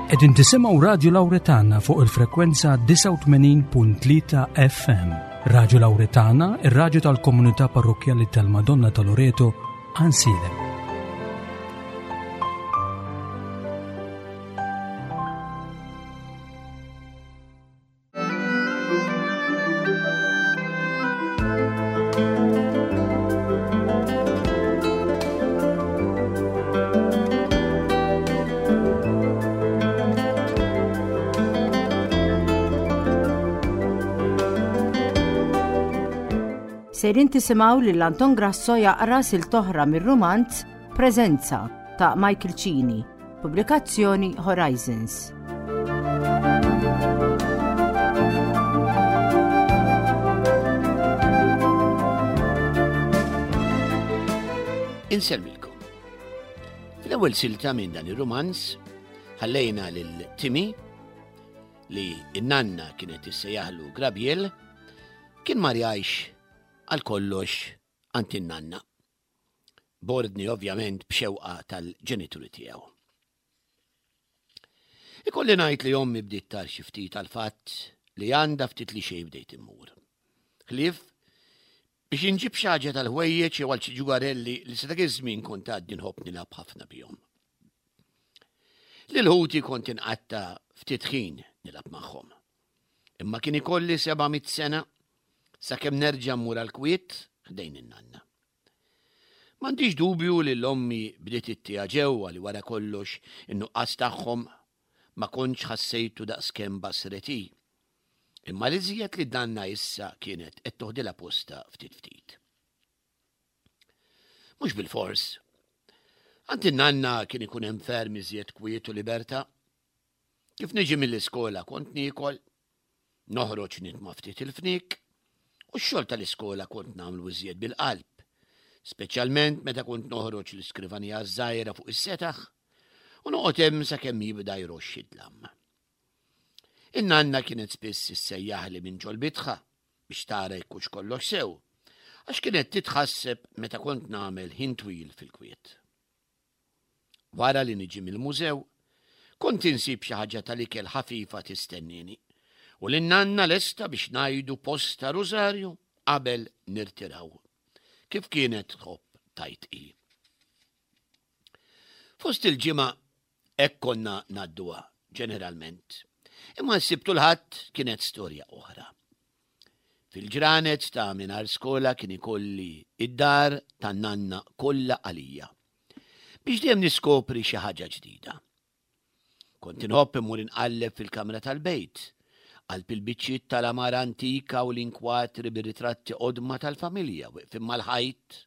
Qegħdin tisimgħu Radju Lawretana fuq il-frekwenza 89.3 FM. Radju Lawretana, ir-radju tal-komunità parrokkjali tal-Madonna ta' Loreto, Ansilem. Sejrin tisimgħu lil Anton Grasso jaqra silta oħra mir-rumanz Preżenza ta' Michael Cini, pubblikazzjoni Horizons. Insellmilkom. Fl-ewwel silta minn dan ir-rumanz ħallejna lil Timmy li n-nanna kienet issejjaħlu Grabiel kien mar jgħix għal kollox għand in-nanna. B'ordni ovvjament b'xewqa tal-ġenituri tiegħu. Ikolli ngħid li ommi bdiet tar xi ftit għall-fatt li għandha ftit li xejn bdejt immur. Ħlief biex inġib xi ħaġa tal-ħwejjeġ jew għal xi ġugarelli li sa dak iż-żmien kont għadni nħobb nilgħab ħafna bihom. Lil ħuti kont inqatta' ftit ħin nilgħab magħhom. Imma kien ikolli 700 sena sakemm nerġa' mmur għall-kwiet ħdejn in-nanna. M'għandix dubju li l-ommi bdiet ittiha ġewwa li wara kollox in-nuqqas tagħhom ma kontx ħassejtu daqskemm basret hi. Imma l-iżjed li danna issa kienet qed toħdilha postha ftit ftit. Mhux bilfors. Għand in-nanna kien ikun hemm ferm iżjed kwiet u libertà. Kif niġi mill-iskola kont niekol, noħroġ nitma' ftit il-fniek, u x-xogħol tal-iskola kont nagħmlu iżjed bil-qalb, speċjalment meta kont noħroġ l-iskrivanija ż-żgħira fuq is-setaħ u noqgħod hemm sakemm jibda jroxx id-dlam. In-nanna kienet spiss issejjaħli minn ġol-bitħa biex tara jekk hux kollox sew, għax kienet titħasseb meta kont nagħmel ħin twil fil-kwiet. Wara li niġi mill-mużew, kont insib xi ħaġa tal-ikel ħafifa tistennieni u lin-nanna lesta biex ngħidu posta rużarju qabel nirtiraw, kif kienet tħobb tgħid hi. Fost il-ġimgħa hekk konna ngħadduha ġeneralment. Imma s-Sibt u l-Ħadd kienet storja oħra. Fil-ġranet ta' mingħajr skola kien ikolli id-dar tan-nanna kollha għalija. Biex dejjem niskopri xi ħaġa ġdida. Kont inħobb immur inqalleb fil-kamra tal-bejt, qalb il-biċċiet tal-għamara antika u l-inkwatri bir-ritratti qodma tal-familja weqfin mal-ħajt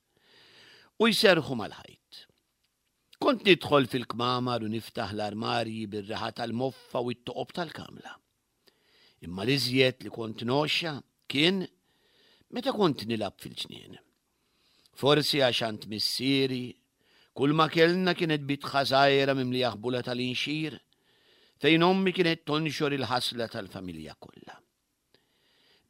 u jserrħu mal-ħajt. Kont nidħol fil-kmamar u niftaħ l-armarji bir-riħa tal-moffa u t-toqob tal-kamla. Imma l-iżjed li kont ngħoxxa kien meta kont nilgħab fil-ġnien. Forsi għax għand missieri kull ma kellna kienet bitħa żgħira mimlija ħbula tal-inxir fejn ommi kienet tonxor il-ħasla tal-familja kollha.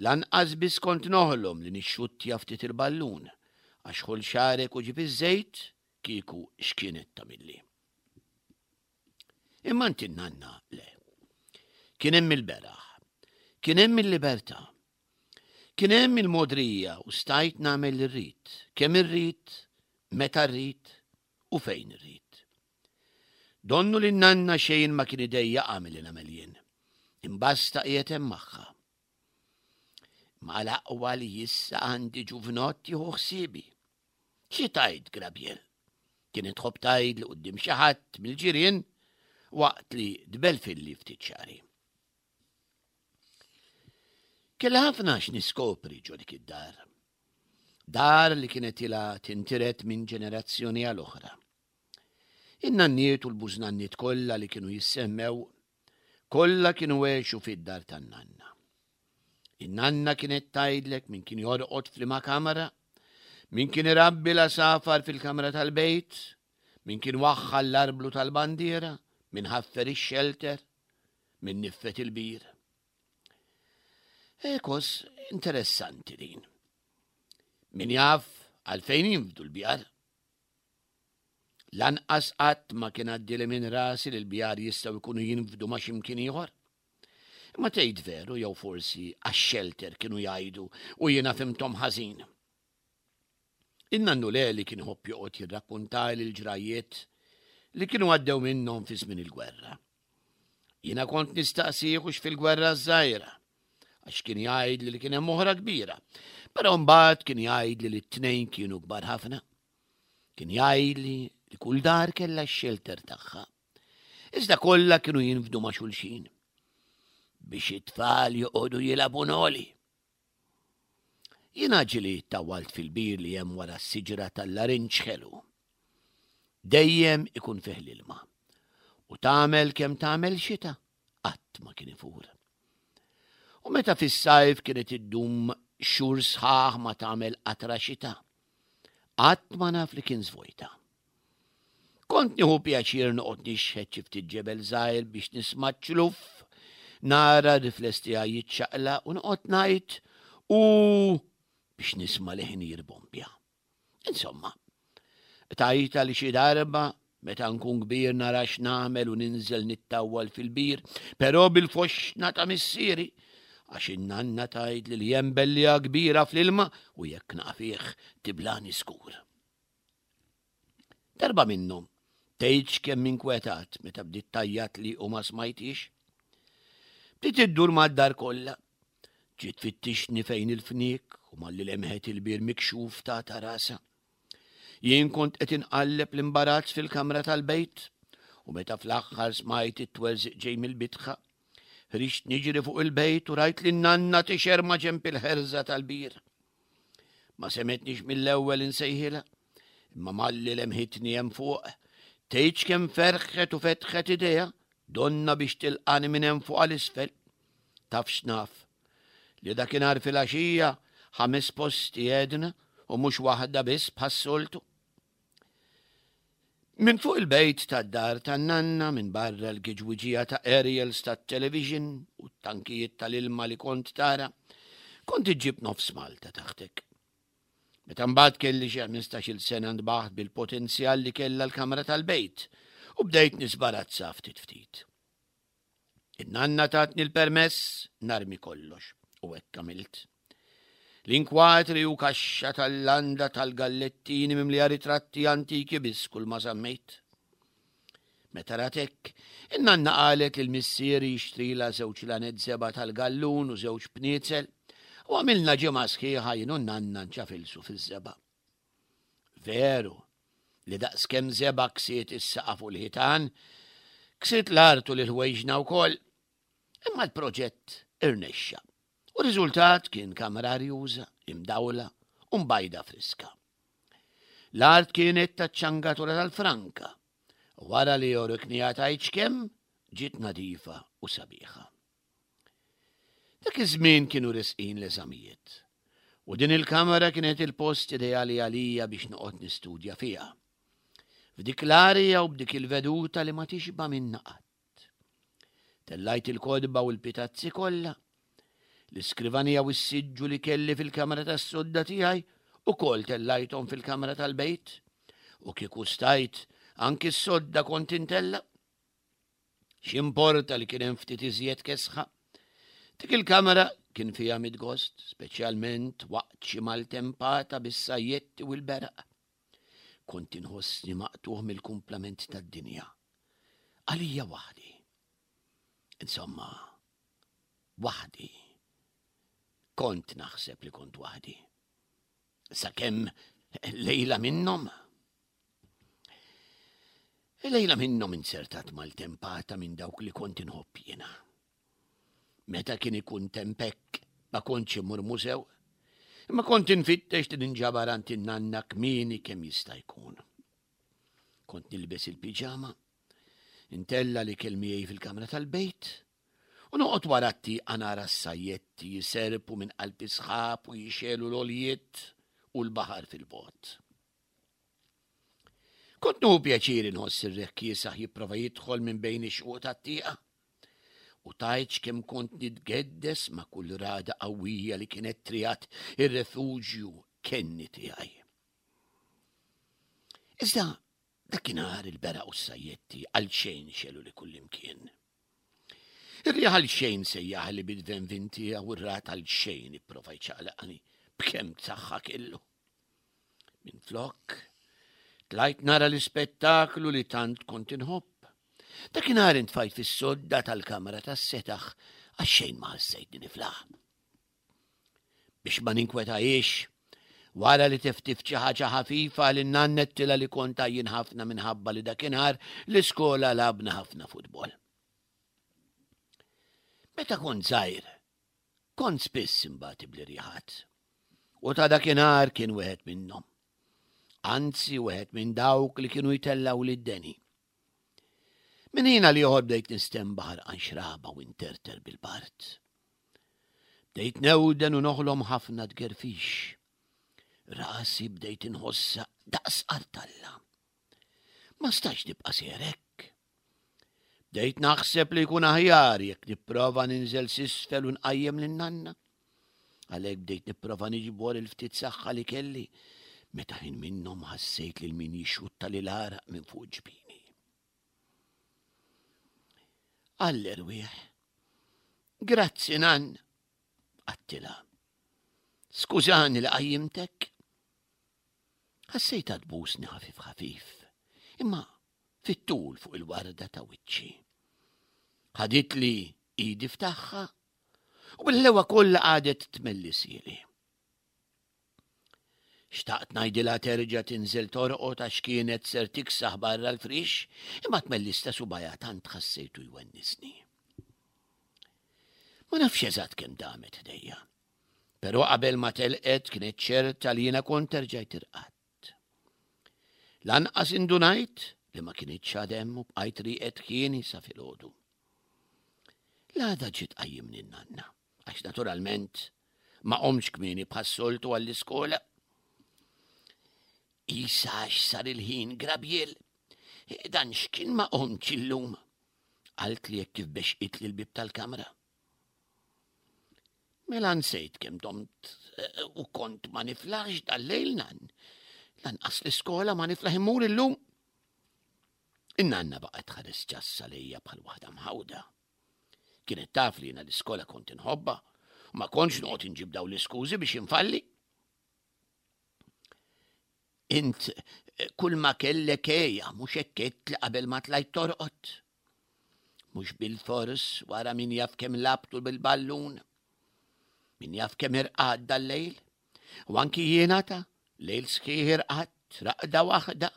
Lanqas biss kont noħlom li nixxuttja ftit il-ballun għax ħoll xagħrek u ġib iż-żejt kieku x'kienet tagħmilli. Imma għand in-nanna le. Kien hemm il-beraħ. Kien hemm il-libertà. Kien hemm il-mogħdrija u stajt nagħmel li rrid, kemm irrid, meta rrid u fejn irrid. Donnu li n-nanna xejn ma kien idejjaqha milli nagħmel jien. Imbasta qiegħed hemm magħha. Ma l-aqwa li issa għandi ġuvnott jieħu ħsiebi. Xi tgħid, Grabiel? Kienet tħobb tgħid li quddiem xi ħadd mill-ġirien waqt li tbelfilli ftit xagħri. Kelli ħafna x'niskopri ġo dik id-dar. Dar li kienet ilha tintiret minn ġenerazzjoni għal oħra. In-nanniet u l-bużnanniet kollha li kienu jissemmew, kollha kienu għexu fid-dar tan-nanna. In-nanna kienet tgħidlek min kien jorqod f'liema kamra, min kien irabbi l-għasafar fil-kamra tal-bejt, min kien waħħal l-arblu tal-bandiera, min ħaffer ix-xelter, min niffet il-bir. Ekos interessanti din. Min jaf għalfejn jinfdu l-bjar. Lanqas qatt ma kien għaddieli minn rasi li l-bjar jistgħu jkunu jinfdu ma' xi mkien ieħor. Imma tgħid veru jew forsi għax-xelter kienu jgħidu u jiena fhimthom ħażin. In-nannu Leli kien iħobb joqgħod jirrakkuntali l-ġrajjiet li kienu għaddew minnhom fi żmien il-gwerra. Jiena kont nistaqsih hux fil-gwerra ż-żgħira, għax kien jgħidli li kien hemm oħra kbira, però mbagħad kien jgħidli li t-tnejn kienu kbar ħafna. Kien jgħidli li kull dar kellha x-xelter tagħha. Iżda kollha kienu jinfdu ma' xulxin biex it-tfal joqogħdu jilagħbu noli. Jiena ġieli tawwalt fil-bir li hemm wara s-siġra tal-larinġ ħelu. Dejjem ikun fih l-ilma. U tagħmel kemm tagħmel xita, qatt ma kien ifur. U meta fis-sajf kienet iddum xhur sħaħ ma tagħmel qatra xita, qatt ma naf li kien żvojta. Kont nieħu pjaċir noqgħod nixħet xi ftit ġebel żgħir biex nisma' ċ-ċluff, nara r-rifless tiegħi jiċċaqlaq u noqgħod ngħid u biex nisma' leħni jirbombja. Insomma, tajta li xi darba meta nkun kbir nara x'nagħmel u ninżel nittawwal fil-bir, però bil-foxxna ta' missieri, għax in-nanna tgħidli li hemm belliegħa kbira fl-ilma u jekk naqa' fih tiblani skur. Darba minnhom, tgħidx kemm inkwetat meta bdiet tgħajjatli u ma smajthiex. Bdiet iddur mad-dar kollha. Ġiet tfittixni fejn il-fniek u malli lemħet il-bir mikxuf tagħta rasha. Jien kont qed inqalleb l-imbarazz fil-kamra tal-bejt u meta fl-aħħar smajt it-twerżiq ġej mill-bitħa, ħriġt niġri fuq il-bejt u rajt lin-nanna tixher ma' ġenb il-ħerża tal-bir. Ma semetnix mill-ewwel insejħilha, imma malli lemħitni hemm fuq, tgħidx kemm ferħet u fetħet idejha, donna biex tilqani minn hemm fuq għal isfel. Taf x'naf, li dakinhar filgħaxija ħames posti għedna u mhux waħda biss bħas-soltu. Minn fuq il-bejt tad-dar tan-nanna minn barra l-giġwiġija ta' aerials tat-television u t-tankijiet tal-ilma li kont tara, kont iġġib nofs Malta taħtek. Meta mbagħad kelli xi 15-il sena ntbaħt bil-potenzjal li kellha l-kamra tal-bejt u bdejt nisbarazza ftit ftit. In-nanna tatni l-permess narmi kollox u hekk għamilt. L-inkwatri u kaxxa tal-landa tal-gallettini mimlija ritratti antiki biss kull ma żammejt. Meta rat hekk, in-nanna qalet lil missieri jixtrilha żewġ lanet żebgħa tal-gallun u żewġ pniezel u għamilna ġimgħa sħiħa jien u n-nanna nċafilsu fiż-żebgħa. Veru li daqskemm żebgħa ksiet is-saqaf u l-ħitan, ksiet l-art u lil ħwejġna wkoll. Imma l-proġett irnexxa u r-riżultat kien kamra arjuża, imdawla u mbajda friska. L-art kienet taċ-ċangatura tal-franka u wara li orikniha tgħidx kemm, ġiet nadifa u sabiħa. Dak iż-żmien kienu resqin l-eżamijiet u din il-kamra kienet il-post ideali għalija biex noqgħod nistudja fiha. F'dik l-arja u b'dik il-veduta li ma tixba' minnha qatt. Tellajt il-kotba u l-pitazzi kollha, l-iskrivanija u s-siġġu li kelli fil-kamra tas-sodda tiegħi ukoll tellajthom fil-kamra tal-bejt u kieku stajt anki s-sodda kont intella'. X'importa li kien hemm ftit iżjed kesħa? Dik il-kamra kien fiha mitgost, speċjalment waqt xi maltempata bis-sajjetti u l-beraq. Kont inħossni maqtugħ mill-kumplament tad-dinja. Għalija waħdi. Insomma, waħdi. Kont naħseb li kont waħdi. Sakemm lejla minnhom Lejla minnhom inzertat maltempata minn dawk li kont inħobb jiena. Meta kien ikun temp hekk ma kontx immur mużew, imma kont infittex li ninġabar għand in-nanna kmieni kemm jista' jkun. Kont nilbes il-piġama, intella' l-ikel miegħi fil-kamra tal-bejt, u noqgħod wara t-tieqa nara s-sajjetti jiserpu minn qalb is-sħab u jixegħlu l-għoljiet u l-baħar fil-bogħod. Kont nieħu pjaċir inħoss ir-riħ kiesaħ jipprova jidħol minn bejn ix-xquq tat-tieqa. U tgħidx kemm kont nitgeddes ma' kull ragħda qawwija li kienet triegħed ir-refuġju kenni tiegħi. Iżda. Dakinhar il-beraq u s-sajjetti għal xejn xelu li kullimkien. Ir-riħ għal xejn sejjaħli bil-venvin tiegħu u r-rat għal xejn ipprova jċaqlaqni b'kemm saħħa kellu. Minflok, tlajt nara l-ispettaklu li tant kont inħobb. Dakinhar intfajt fis-sodda tal-kamra tas-setaħ għax xejn ma ħassejtni niflaħ. Biex ma ninkwetahiex, wara li teftift xi ħaġa ħafifa lin nannettilha li kont għajjien ħafna minħabba li dakinhar l-iskola lagħabna ħafna futbol. Meta kont żgħir, kont spiss imbati bl-irjaħat. U ta' dakinhar kien wieħed minnhom. Anzi, wieħed minn dawk li kienu jtellgħu lid-deni. Minn ħin għal ieħor bdejt nistenbaħ għarqan xraba u nterter bil-bard. Bdejt newden u noħlom ħafna tgerfix. Rasi bdejt inħossha daqs qartalla. Ma stajtx nibqa' sejjer hekk. Bdejt naħseb li jkun aħjar jekk nipprova ninżel s'isfel u nqajjem lin-nanna. Għalhekk bdejt nipprova niġbor il-ftit saħħa li kelli meta ħin minnhom ħassejt lil min jixxutta lil għaraq minn fuq ġbini. Għall-erwieħ. Grazzi nan, għattilha. Skużani li qajjimtek. Ħassejtha tbusni ħafif ħafif, imma fit-tul fuq il-warda ta' wiċċi. Ħaditli idi f'tagħha u bil-lewa kollha qagħdet tmelli sieli. Xtaqt ngħidilha terġa' tinżel torqod għax kienet ser tiksaħ barra l-frix, imma tmellis ta' subajha tant ħassejtu jwennisni. Ma nafx eżatt kemm damet ħdejja. Però qabel ma telqet kienet ċerta li jiena kont erġajt irqadt. Lanqas indunajt li ma kinitx għad hemm u bqajt rieqed ħieni sa filgħodu. L-għada ġiet tqajjimni n-nanna, għax naturalment ma qomtx kmieni bħas-soltu għall-iskola. Isa għax sar il-ħin Grabiel, dan x'kien ma qomtx illum? Qaltli hekk kif bexqitli l-bieb tal-kamra. Mela nsejt kemm domt eh, u kont ma niflaħx dal-lejl nan. Lanqas l-iskola ma niflaħ immur illum. In-nanna baqgħet tħares ċassa lejja bħal waħda mħawda. Kienet taf li jiena l-iskola kont inħobba u ma kontx noqgħod inġib daw l-iskużi biex infalli. Int eh, kull ma kellek eja, mhux hekk għedt li qabel ma tlajt torqod. Mhux bil-fors wara min jaf kemm labtu bil-ballun. Min jaf kemm irqad dal-lejl. U anki jiena ta' lejl sħiħ irqadt, raqda waħda.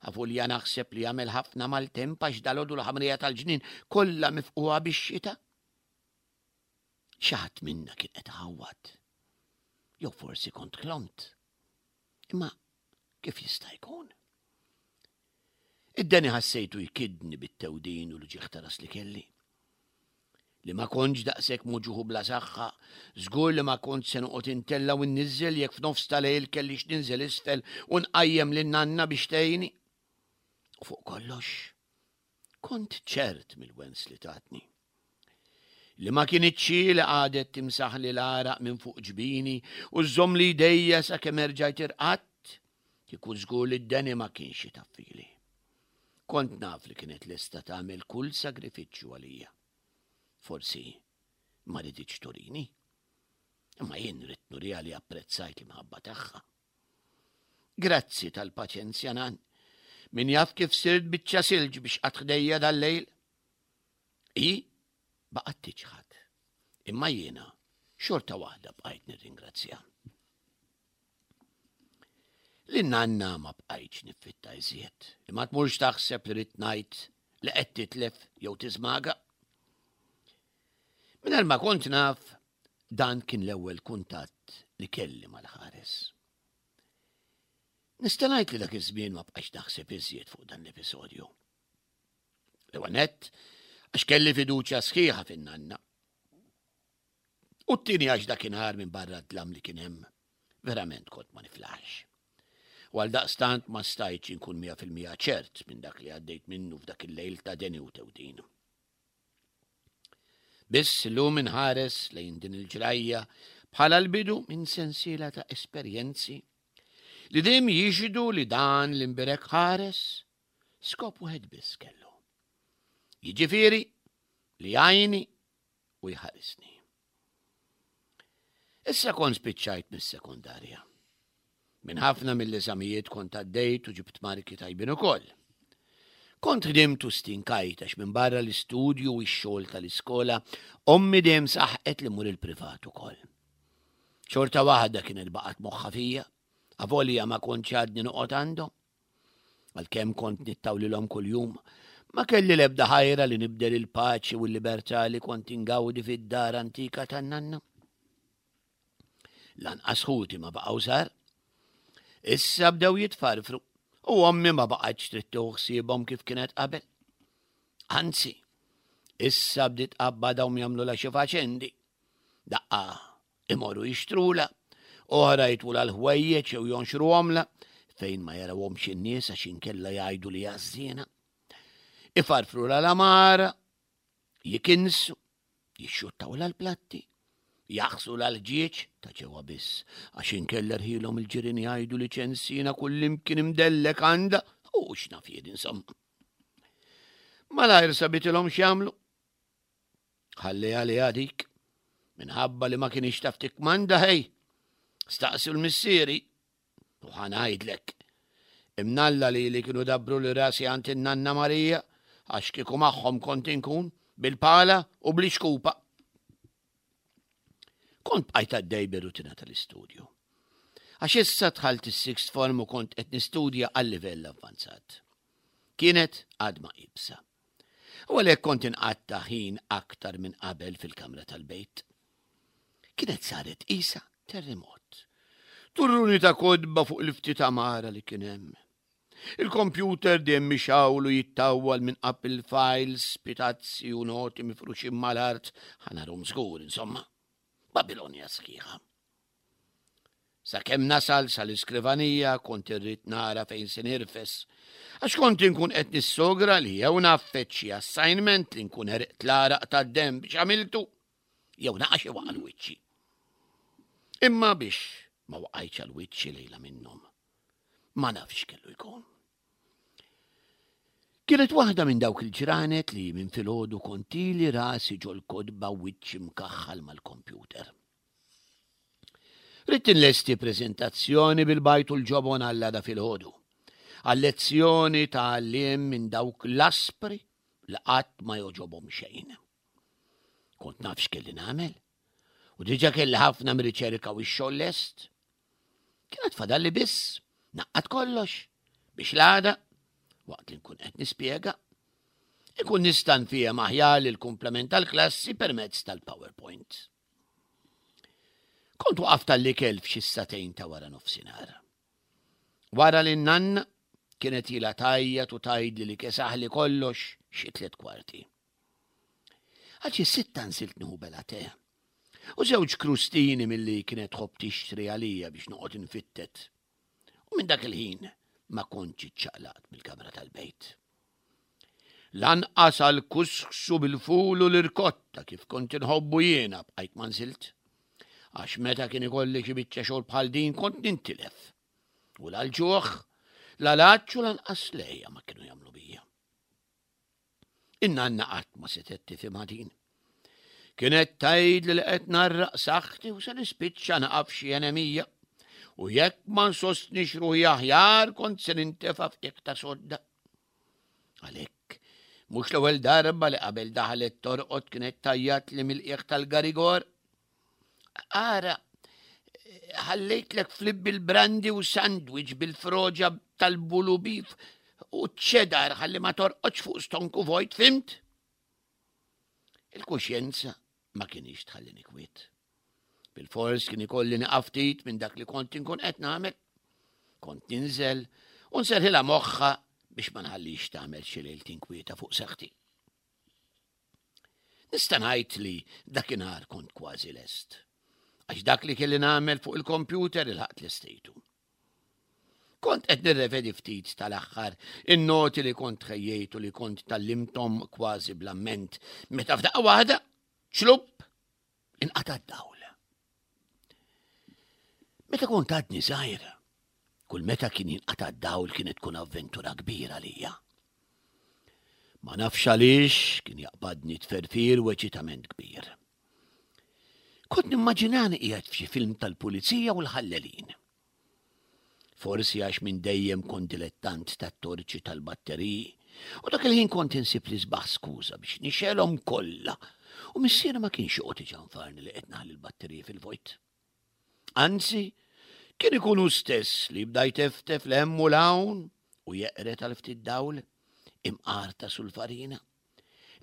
Avolja naħseb li jagħmel ħafna maltemp għax dalgħodu l-ħamrija tal-ġnien kollha mifqugħa bix-xita. Xi ħadd minna kien qed iħawwad. Jew forsi kont ħlomt. Imma kif jista' jkun? Id-deni ħassejtu jkidni bit-tewdin u l-ġieħ ta' ras li kelli. Li ma kontx daqshekk muġuħu bla saħħa, żgur li ma kont se noqgħod intella' u nniżżel jekk f'nofs ta' lejl kellix ninżel isfel u nqajjem lin nanna biex tgħinni. U fuq kollox, Kont ċert mill-wens li tatni. Li ma kinitx hi li qagħdet timsaħli l-għaraq minn fuq ġbini u żżommli jdejja sakemm erġajt irqadt, kieku żgur li d-deni ma kienx itaffili. Kont naf li kienet lesta tagħmel kull sagrifiċċju għalija. Forsi ma riditx turini. Imma jien ridt nuriha li apprezzajt l-imħabba tagħha. Grazzi tal-paċenzja nan. Min jaf kif sirt biċċa silġ biex qatt ħdejja dal-lejl. I baqgħet tiċħad. Imma jiena xorta waħda bqajt nirringrazzja. Lin-nanna ma bqajtx niffitta iżjed, imma tmurx taħseb li rrid ngħid li qed titlef jew tiżmaga. Mingħajr ma kont naf, dan kien l-ewwel kuntatt li kelli mal-ħares. Nista' ngħid li dak iż-żmien ma bqajtx naħseb iżjed fuq dan l-episodju. L-ewwel nett, għax kelli fiduċja sħiħa fin-nanna. U t-tieni għax dakinhar minn barra d-dlam li kien hemm, verament kont ma niflaħx. U għal daqstant ma stajtx inkun 100% ċert minn dak li għaddejt minnu f'dak il-lejl ta' deni u tewdin. Biss illum inħares lejn din il-ġrajja bħala l-bidu minn sensiela ta' esperjenzi li dejjem jixhdu li dan l-imbierek ħares. Skop wieħed biss kellu. Jiġifieri li jgħinni u jħarisni. Issa kont spiċċajt mis-sekondarja. Minn ħafna mill-eżamijiet kont għaddejt u ġibt marki tajbin ukoll. Kont ħdimt u stinkajt għax minn barra l-istudju u x-xogħol tal-iskola ommi dejjem saħqet li mur il-privat ukoll. Xorta waħda kienet baqgħet moħħa fija, avolja ma kontx għadni noqgħod għandhom. Għalkemm kont nittawlilhom kuljum, ma kelli l-ebda ħajra li nibdel il-paċi u l-libertà li kont ingawdi fid-dar antika tan-nanna. Lanqas ħuti ma baqgħu żgħar. Issa bdew jitfarfru u ommi ma baqgħetx trid tieħu ħsiebhom kif kienet qabel. Anzi, issa bdiet tqabbadhom jagħmlulha xi faċendi. Daqqa imorru jixtrula, oħra jitwula l-ħwejjeġ jew jonxruhomla fejn ma jarawhomx in-nies għax inkella jgħidu li għażżiena. Ifarfrula l-amara, jikinsu, jixxuttawla l-platti, jaħsula l-ħġieġ ta' ġewwa biss, għax inkella rħilhom il-ġirien jgħidu li ċensina kullimkien imdellek għandha u x'naf jien insomma. Malajr sabitilhom x'jagħmlu. Ħalli għaliha dik, minħabba li ma kienx taf tikkmanda ħej. Staqsi l-missieri, u ħa ngħidlek. Imnalla li li kienu dabbru li rasi għand in-nanna Marija, għax kieku magħhom kont inkun bil-pala u bl-ixkupa. Kont bqajt għaddej bir-rutina tal-istudju. Għax issa dħalt is-sixth form u kont qed nistudja għal livell avvanzat. Kienet għadma ibsa. U għalhekk kont inqatta' ħin aktar minn qabel fil-kamra tal-bejt. Kienet saret qisha terremot. Turruni ta' kotba fuq il-ftit għamara li kien hemm. Il-kompjuter dejjem mixgħul u jittawwal minn qab il-files, pitazzi u noti mifruxin mal-art, ħa narhom żgur, insomma. Babilonja sħiħa. Sakemm nasal sal-iskrivanija kont irrid nara fejn se nirfes, għax kont inkun qed nissogra li jew ngħaffeġ xi assignment li nkun għeriqt l-għaraq tad-demm biex għamiltu, jew naqa' xi waqa' l-wiċċi. Imma biex ma waqajtx għal wiċċi lejla minnhom, ma nafx kellu jkun. Kienet waħda minn dawk il-ġranet li minn filgħodu kont ili rasi ġol-kotba wiċċi mkaħħal mal-kompjuter. Ridt inlesti preżentazzjoni bil-bajd u l-ġobon għall-għada filgħodu. Għal-lezzjoni ta' għalliem minn dawk l-aspri li qatt ma jogħġobhom xejn. Kont naf x'kelli nagħmel u diġà kelli ħafna mir-riċerka u x-xogħol lest. Kienet fadalli biss naqqad kollox biex l-għada, waqt li nkun qed nispjega, ikun nista' nfiehem aħjar lill-kumplament tal-klassi permezz tal-PowerPoint. Kont waqaft għall-ikel f'xi s-sagħtejn ta' wara nofsinhar. Wara li n-nanna kienet ilha tgħajjat u tgħidli li kesaħli kollox xi tlett kwarti. Għal xi sitta nsilt nieħu bela te. U żewġ krustini milli kienet tħobb tixtri għalija biex noqgħod infittet. U minn dak il-ħin ma kontx iċċaqlaqt mill-kamra tal-bejt. Lanqas għal kusksu bil-ful u l-irkotta kif kont inħobbu jiena bqajt ma nżilt. Għax meta kien ikolli xi biċċa xogħol bħal din kont nintilef. U la l-ġuħ, la l-għatx u lanqas lejja ma kienu jagħmlu bija. In-nanna qatt ma setgħet tifhimha din. Kienet tgħidli li qed narraq saħħti u se nispiċċa naqa' f'xi enemija. U jekk ma nsostnix ruħi aħjar kont se nintefa' f'qiegħ ta' sodda. Għalhekk, mhux l-ewwel darba li qabel daħlet torqod kienet tgħajjatli mill-qiegħ tal-garigor. Ara, ħallejtlek flib bil-brandi u sandwich bil-froġa tal-bulu bif u ċedar ħalli ma torqodx fuq stonku vojt, fimt? Il-kuxjenza ma kienx tħallini kwiet. Bil-fors kien ikolli nieqaf ftit minn dak li kont inkun qed nagħmel. Kont ninżel u nserħilha moħħha biex ma nħallix tagħmel xi lejl tinkwieta fuq saħħti. Nista' ngħid li dakinhar kont kważi lest. Għax dak li kelli nagħmel fuq il-kompjuter ilħaqt lestejtu. Kont qed nirrevedi ftit tal-aħħar in-noti li kont ħejjejt u li kont tallimthom kważi bl-amment meta f'daqqa waħda ċlupp inqata' d-dawl. Meta kont għadni żgħir, kull meta kien jinqata' d-dawl kienet tkun avventura kbira lija. Ma nafx għaliex kien jaqbadni tferfir u eċitament kbir. Kont nimmaġinani qiegħed f'xi film tal-pulizija u l-ħallelin. Forsi għax minn dejjem kont dilettant tat-torċi tal-batteriji u dak il-ħin kont insib l-isbaħ skuża biex nixgħelhom kollha u missieri ma kienx joqgħod iġanfarni li qed naħli l-batteriji fil-vojt. Anzi, kien ikun hu stess li jibda jteftef 'l hemm u 'l hawn u jeqred għal ftit dawl imqar ta' sulfarina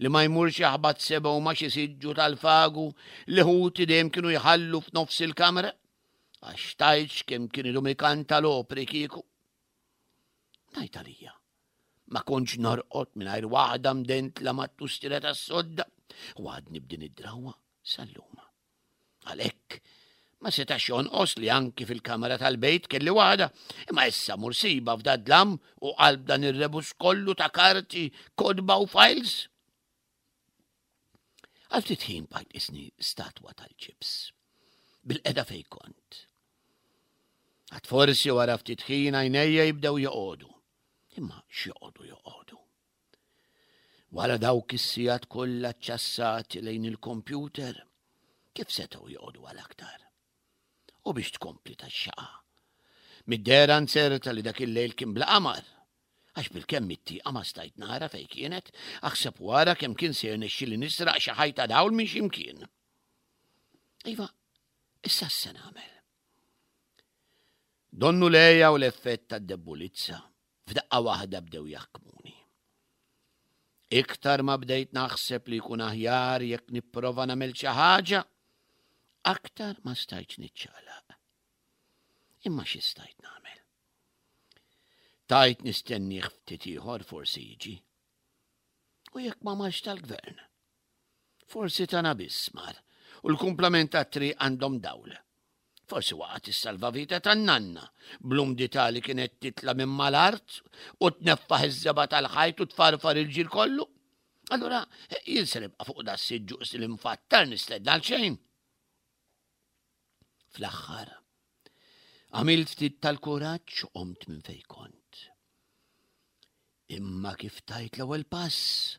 li ma jmurx jaħbat sebgħu ma' xi siġġu tal-fagu li ħuti dejjem kienu jħallu f'nofs il-kamra għax tgħidx kemm kien idum ikanta l-opri kieku. Ngħid għalija, ma kontx norqod mingħajr waħda mdentla mat-tustira tas-sodda u għadni b'din id-drawwa sal-lum. Għalhekk, ma setax jonqos li anki fil-kamra tal-bejt kelli waħda, imma issa mur siba f'dad-dlam u qalb dan ir-rebus kollu ta' karti, kotba u files. Għal ftit ħin bqajt isni statwa tal-ġibs. Bil-qeda fej kont. Għad forsi wara ftit ħin għajnejja jibdew joqogħdu. Imma x'joqogħdu joqogħdu? Wara dawk is-sigħat kollha ċċassati lejn il-kompjuter, kif setgħu joqogħdu għal aktar? U biex tkompli tax-xaqa. Mid-dehra nzerta li dak il-lejl kien bla qamar, għax bilkemm mit-tieqa ma stajt nara fejn kienet, aħseb wara kemm kien se jirnexxili nisraq xi ħajta dawl minn xi mkien. Iva, issa x'se nagħmel? Donnu l-għeja u l-effett tad-debbulizza f'daqqa waħda bdew jaħkmuni. Iktar ma bdejt naħseb li jkun aħjar jekk nipprova nagħmel xi ħaġa, aktar ma stajtx niċċaqlaq. Imma xi stajt nagħmel? Tajt nistennieh ftit ieħor forsi jiġi. U jekk ma marx tal-gvern? Forsi tagħna biss mar u l-kumplament tat-triq għandhom dawl. Forsi waqgħet is-salvavita tan-nanna bl-umdità li kienet titla' minn mal-art u tneffaħ iż-żebgħa tal-ħajt u tfarfar il-ġir kollu. Allura jien se nibqa' fuq da s-siġġu qis li mfattar nistenna għal xejn. Fl-aħħar, għamilt ftit tal-kuraġġ u qomt minn fejn kont. Imma kif tajt l-ewwel pass,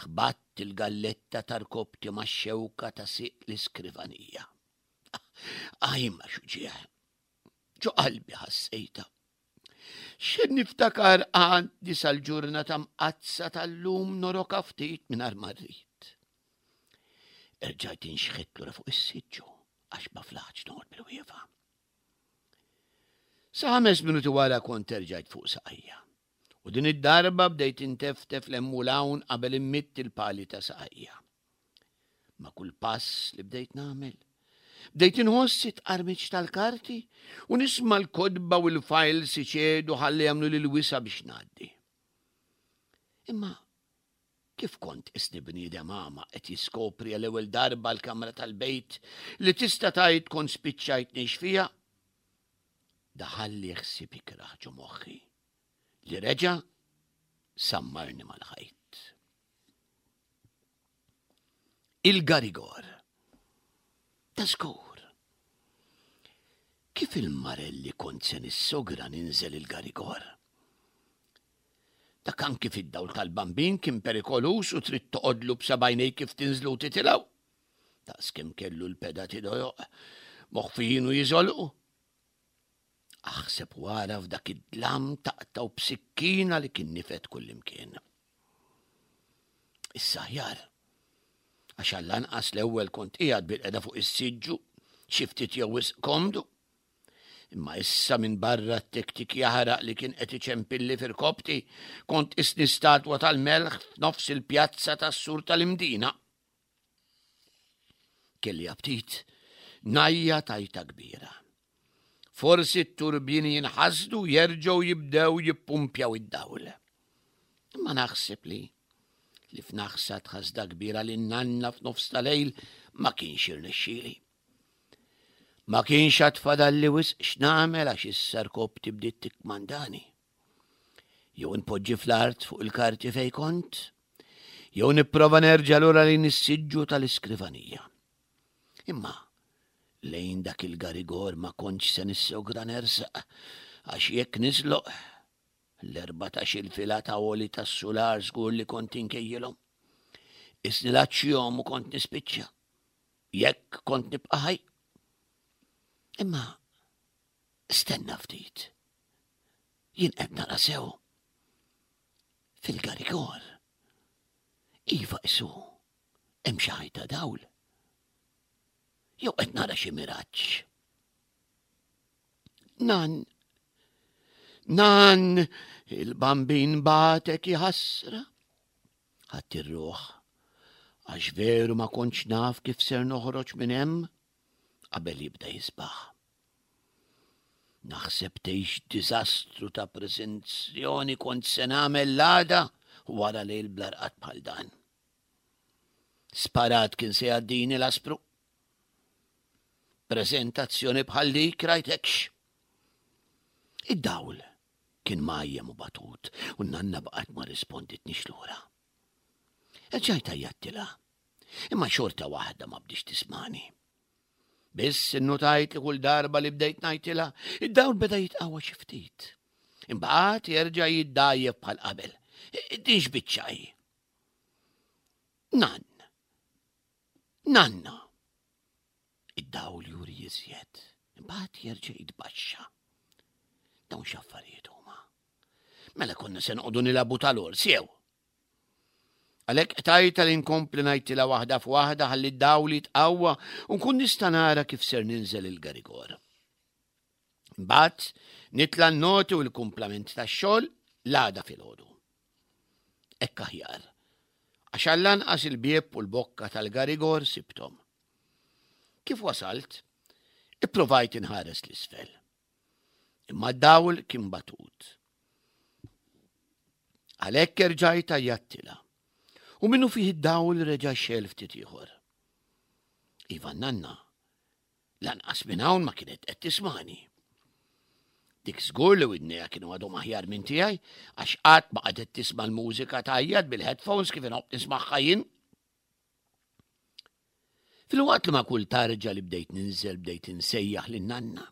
ħbatt il-galletta ta' rkobti max-xewka ta' sieq l-iskrivanija. Ajma xuġieħ! Ġo qalbi ħassejtha. X'ħin niftakar għandi sal-ġurnata mqaddsa tal-lum noroka ftit mingħajr ma rrid. Erġajt inxħitt lura fuq is-siġġu għax ma flaħtx noqgħod bil-wieqfa. Sa ħames minuti wara kont erġajt fuq saqajja. U din id-darba bdejt inteftef 'l hemm u 'l hawn qabel immitt il-pali ta' saqajja. Ma' kull pass li bdejt nagħmel, bdejt inħoss it-tqarmiċ tal-karti u nisma' l-kotba u l-files iċedu ħalli jagħmlu lil wisa' biex ngħaddi. Imma kif kont isni bniedem għama qed jiskopri għal ewwel darba l-kamra tal-bejt li tista' tgħid kont spiċċajt ngħix fiha, daħalli ħsieb ikrah ġo moħħi li reġa' sammarni mal-ħajt. Il-Garigor. Ta' żgur. Kif il-marelli kont se nissogra ninżel il-Garigor? Dak anki fid-dawl tal-bambin kien perikoluż u trid toqgħodlu b'sebgħajnejk kif tinżlu u titilgħu. Daqs kemm kellu l-pedati dojoq, moħfijin u jiżolqu. Aħseb wara f'dak id-dlam taqtgħu b'sikkina li kien nifed kullimkien. Issa aħjar. Għax għall-anqas l-ewwel kont qiegħed bil-qeda fuq is-siġġu, xi ftit jew wisq komdu. Imma issa minn barra t-tiktik jaħraq li kien qed iċempilli f'irkobti, kont isni statwa tal-melħ f'nofs il-pjazza tas-sur tal-Imdina. Kelli aptit ngħajjat għajta kbira. Forsi t-turbini jinħasdu jerġgħu jibdew jippumpjaw id-dawl. Imma naħseb li li f'naħsa tħasda kbira li nanna f'nofs ta' lejl ma kienx irnexxieli. Ma kienx għad fadalli wisq x'nagħmel għax issa rkobti bdiet tikkmandani. Jew inpoġġi fl-art fuq il-karti fejn kont, jew nipprova nerġa' lura lejn is-siġġu tal-iskrivanija. Imma lejn dak il-garigor ma kontx se nissogra nersaq għax jekk niżloq. L-erbatax-il fila ta' għoli tas-sular żgur li kont inkejjilhom. Isni l-għatx u kont nispiċċa. Jekk kont nibqa' ħaj. Imma stenna ftit. Jien qed nara sew. Fil-garigor. Iva isu, hemm xi ħajta dawl. Jew qed nara xi miraġġ. Nan, nan, il-bambin batek jħassra. Ħadd ir-ruħ, għax veru ma kontx naf kif ser noħroġ minn hemm qabel jibda jisbaħ. Naħseb tgħix diżastru ta' preżenzjoni kont se nagħmel l-għada wara lejl bla rqad bħal dan. Sparat kien se jgħaddini l-aspru. Preżentazzjoni bħal dik rajtekx. Id-dawl kien majjem u batut u n-nanna baqgħet ma risponditnix lura. Erġajt għajjattilha, imma xorta waħda ma bdiex tismani. Biss innutajt li kull darba li bdejt ngħidtilha, id-dawl beda jitqawwa xi ftit. Imbagħad jerġa' jiddgħajjef bħal qabel. Din x'biċċa hi? Nann. Nanna. Id-dawl juri iżjed, imbagħad jerġa' jitbaxxa. Dawn x'affarijiet huma. Mela konna se noqogħdu nilagħbu tal-ors jew. Għalhekk qtajtha li nkompli ngħidtilha waħda f'waħda ħalli d-dawl jitqawwa u nkun nista' nara kif ser ninżel il-garigor. Imbagħad nitla' n-noti u l-kumplament tax-xogħol l-għada filgħodu. Hekk aħjar, għax għall-anqas il-bieb u l-bokka tal-garigor sibthom. Kif wasalt, ipprovajt inħares l-isfel. Imma d-dawl kien batut. Għalhekk erġajt għajjattilha. U minnu fih id-dawl reġa' xel ftit ieħor. Iva nanna, lanqas minn hawn ma kienet qed tismani. Dik żgur li widnejha kienu għadhom aħjar minn tiegħi għax qatt ma qagħdet tisma' l-mużika tgħajjat bil-headphones kif inħobb nismagħha jien. Filwaqt li ma' kull tarġa li bdejt ninżel bdejt insejjaħ lin nanna.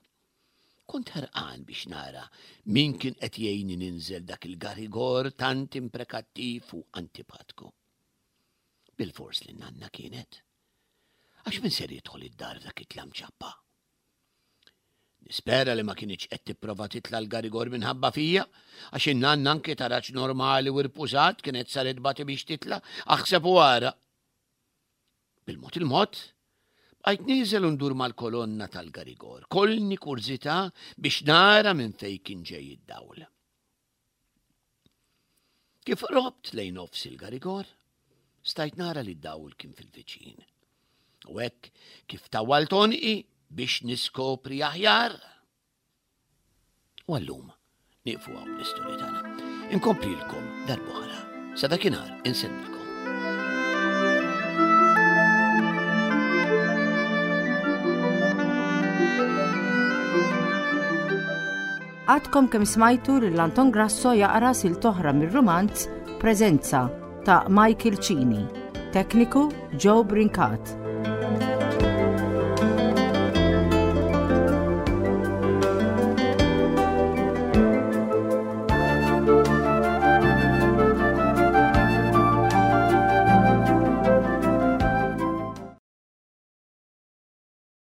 Kont ħerqan biex nara min kien qed jgħinni ninżel dak il-garigor tant imprekattiv u antipatku. Bilfors li nanna kienet. Għax min ser jidħol id-dar dak it-tlam ċappa? Nispera li ma kinitx qed tipprova titla' l-garigor minħabba fija, għax in-nanna anki taraġ normali u rpużat kienet saret bati biex titla', aħseb u ara. Bil-mod il-mod, bqajt nieżel u ndur mal-kolonna tal-garigor, kollni kurżità biex nara minn fejn kien ġej id-dawl. Kif qrobt lejn nofs il-garigor, stajt nara li d-dawl kien fil-viċin. U hekk kif tawwalt għonqi biex niskopri aħjar. U għallum nieqfu hawn l-istorja tagħna. Inkomplilkom darb'oħra. Sa dakinhar insellmilkom. Għadkom kemm smajtu lil Anton Grasso jaqra silt oħra mir-rumanz Preżenza ta' Michael Cini. Tekniku Joe Brincat.